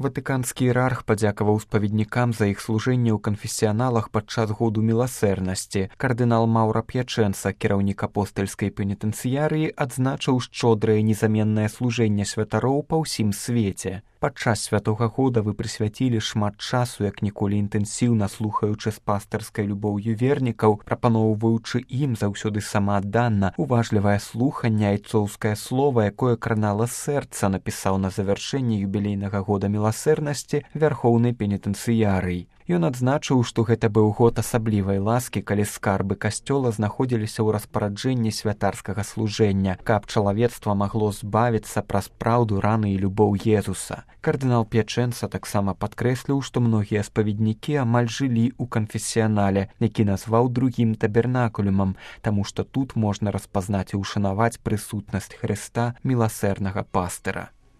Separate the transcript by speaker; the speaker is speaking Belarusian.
Speaker 1: Ватыканскі іерарх падзякаваў спаведнікам за іх служэнне ў канфесіяналах падчас году міласэрнасці. Кардынал Маўра П'ячэнса, кіраўнік апостальскай пенітэнцыярыі, адзначыў шчодрае незаменнае служэнне святароў па ўсім свеце. Падчас святога года вы прысвяцілі шмат часу, як ніколі інтэнсіўна слухаючы з пастырскай любоўю вернікаў, прапаноўваючы ім заўсёды самаадданна уважлівае слуханне, айцоўскае слова, якое кранала сэрца, напісаў на завяршэнні юбілейнага года міласэрнасці вярхоўнай пенітэнцыярый. Ён адзначыў, што гэта быў год асаблівай ласкі, калі скарбы касцёла знаходзіліся ў распараджэнні святарскага служэння, каб чалавецтва магло збавіцца праз праўду, раны і любоў Езуса. Кардынал П'ячэнса таксама падкрэсліў, што многія спаведнікі амаль жылі ў канфесіянале, які назваў другім табернакулюмам, таму што тут можна распазнаць і ўшанаваць прысутнасць Хрыста, міласэрнага пастыра.